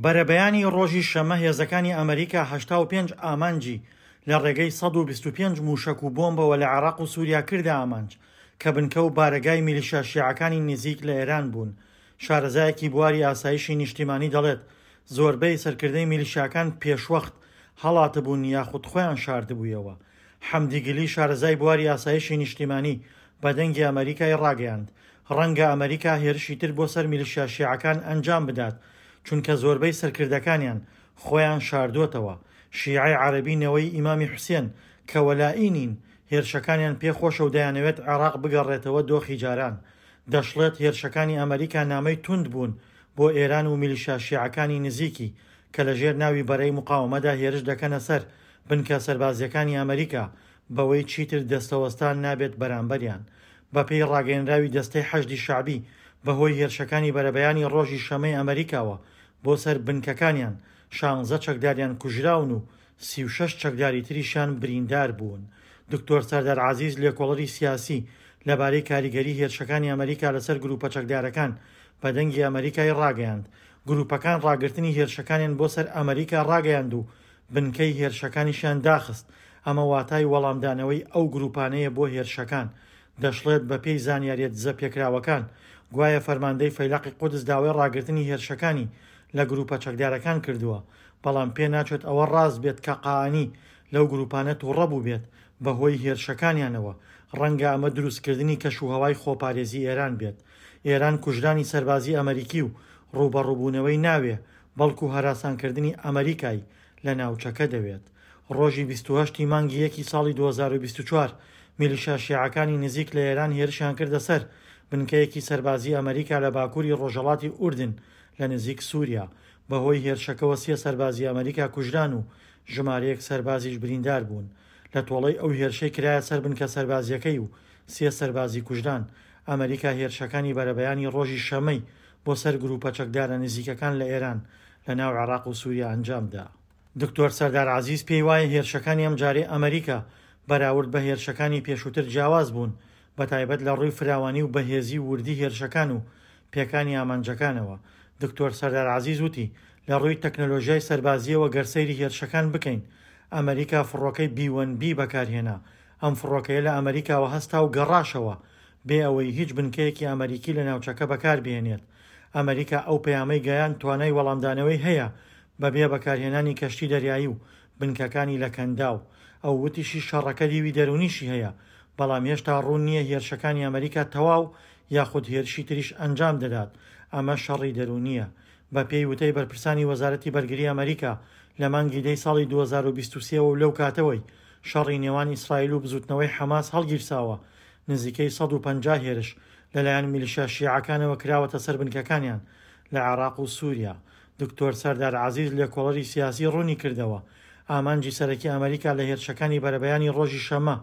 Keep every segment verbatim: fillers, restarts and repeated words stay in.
بەرەبەیانی ڕۆژی شەممە هێزەکانی ئەمریکا هەشتا و پێنج ئامانجی لە ڕێگەی سەد و بیست و پێنج موشەک و بۆمبەوە لە عێراق و سووریا کردە ئامانج کە بنکە و بارەگای میلیشیا شیعەکانی نزیک لە ئێران بوون. شارەزایەکی بواری ئاسایشی نیشتیمانی دەڵێت زۆربەی سەرکردەی میلیشیاکان پێشوەخت هەڵاتبوون یاخود خۆیان شاردبوویەوە. حەمدی گلی شارەزای بواری ئاسایشی نیشتیمانی بە دەنگی ئەمریکای ڕاگەیاند ڕەنگە ئەمریکا هێرشی تر بۆ سەر میلیشیا شیعەکان ئەنجام بدات چونکە زۆربەی سەرکردەکانیان خۆیان شاردۆتەوە. شیعەی عەرەبی نەوەی ئیمامی حوسێن کە وەلائی نین هێرشەکانیان پێخۆشە و دەیانەوێت عێراق بگەڕێتەوە دۆخی جاران. دەشڵێت هێرشەکانی ئەمریکا نامەی توند بوون بۆ ئێران و میلیشیا شیعەکانی نزیکی کە لەژێر ناوی بەرەی مقاومەدا هێرش دەکەنە سەر بنکە سەربازیەکانی ئەمریکا بەوەی چیتر دەستەوەستان نابێت بەرامبەریان. بەپێی ڕاگەیەنراوی دەستەی حەشدی شەعبی بەهۆی هێرشەکانی بەرەبەیانی ڕۆژی شەمەی ئەمریکاوە بۆ سەر بنکەکانیان شانزە چەکداریان کوژراون و سی و شەش چەکداری تریشیان بریندار بوون. دکتۆر سەردار عەزیز لێکۆڵەری سیاسی لەبارەی کاریگەری هێرشەکانی ئەمریکا لەسەر گروپە چەکدارەکان بە دەنگی ئەمریکای ڕاگەیاند گروپەکان ڕاگرتنی هێرشەکانیان بۆ سەر ئەمریکا ڕاگەیاند و بنکەی هێرشەکانیشیان داخست. ئەمە واتای وەڵامدانەوەی ئەو گروپانەیە بۆ هێرشەکان. دەشڵێت بە پێی زانیاریە دزەپێکراوەکان گوایە فەرماندەی فەیلەقی قودس داوای ڕاگرتنی هێرشەکانی لە گروپە چەکدارەکان کردووە، بەڵام پێ ناچێت ئەوە ڕاست بێت کە قائانی لەو گروپانە تووڕە بوو بێت بەهۆی هێرشەکانیانەوە. ڕەنگە ئەمە دروستکردنی کەش و هەوای خۆپارێزی ئێران بێت. ئێران کوژرانی سەربازی ئەمریکی و ڕووبەڕووبوونەوەی ناوێ، بەڵکو هەراسانکردنی ئەمریکای لە ناوچەکە دەوێت. ڕۆژی بیست و هەشت ی مانگی یەکی ساڵی دوو هەزار و بیست و چوار میلیشیا شیعەکانی نزیک لە ئێران هێرشیان کردە سەر بنکەیەکی سەربازی ئەمریکا لە باکووری ڕۆژهەڵاتی ئوردن لە نزیک سووریا. بەهۆی هێرشەکەوە سێ سەربازی ئەمریکا کوژران و ژمارەیەک سەربازیش بریندار بوون. لە تۆڵەی ئەو هێرشەی کرایە سەر بنکە سەربازیەکەی و سێ سەربازی کوژران، ئەمریکا هێرشەکانی بەرەبەیانی ڕۆژی شەمەی بۆ سەر گروپە چەکدارە نزیکەکان لە ئێران لە ناو عێراق و سووریا ئەنجامدا. دکتۆر سەردار عەزیز پێی وایە هێرشەکانی ئەمجارەی ئەمریکا بەراورد بە هێرشەکانی پێشووتر جیاواز بوون، بەتایبەت لە ڕووی فراوانی و بەهێزی و وردی هێرشەکان و پێکانی ئامانجەکانەوە. دکتۆر سەردار عەزیز وتی لە ڕووی تەکنەلۆژیای سەربازیەوە گەر سەیری هێرشەکان بکەین، ئەمریکا فڕۆکەی بی وەن بی بەکارهێنا. ئەم فڕۆکەیە لە ئەمریکاوە هەستا و گەڕاشەوە بێ ئەوەی هیچ بنکەیەکی ئەمریکی لە ناوچەکە بەکاربهێنێت. ئەمریکا ئەو پەیامەی گەیاند توانای وەڵامدانەوەی هەیە بەبێ بەکارهێنانی کەشتی دەریایی و بنکەکانی لە کەنداو. ئەو وتیشی شەڕەکە دیوی دەرونیشی هەیە، بەڵام هێشتا ڕوون نییە هێرشەکانی ئەمریکا تەواو یاخود هێرشی تریش ئەنجام دەدات. ئەمە شەڕی دەرونییە. بە پێی وتەی بەرپرسانی وەزارەتی بەرگری ئەمریکا لە مانگی دەی ساڵی دوو هەزار و بیست و سێ و لەو کاتەوەی شەڕی نێوان ئیسرائیل و بزوتنەوەی حەماس هەڵگیرساوە نزیکەی سەد و پەنجا هێرش لەلایەن میلیشیا شیعەکانەوە کراوەتە سەر بنکەکانیان لە عێراق و سووریا. دکتۆر سەردار عەزیز لێکۆڵەری سیاسی ڕوونی کردەوە ئامانجی سەرەکی ئەمریکا لە هێرشەکانی بەرەبەیانی ڕۆژی شەممە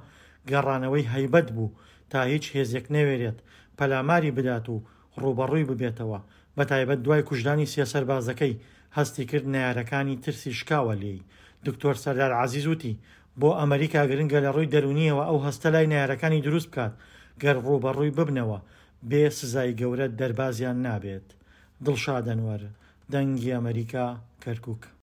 گەڕانەوەی هەیبەت بوو تا هیچ هێزێک نەوێرێت پەلاماری بدات و ڕووبەڕووی ببێتەوە، بەتایبەت دوای کوژرانی سێ سەربازەکەی هەستی کرد نەیارەکانی ترسی شکاوە لێی. دکتۆر سەردار عەزیز وتی بۆ ئەمریکا گرنگە لە ڕووی دەرونیەوە ئەو هەستە لای نەیارەکانی دروست بکات گەر ڕووبەڕووی ببنەوە بێ سزای گەورە دەربازیان نابێت. دڵشاد ئەنوەر، دەنگی ئەمریکا، کەرکوک.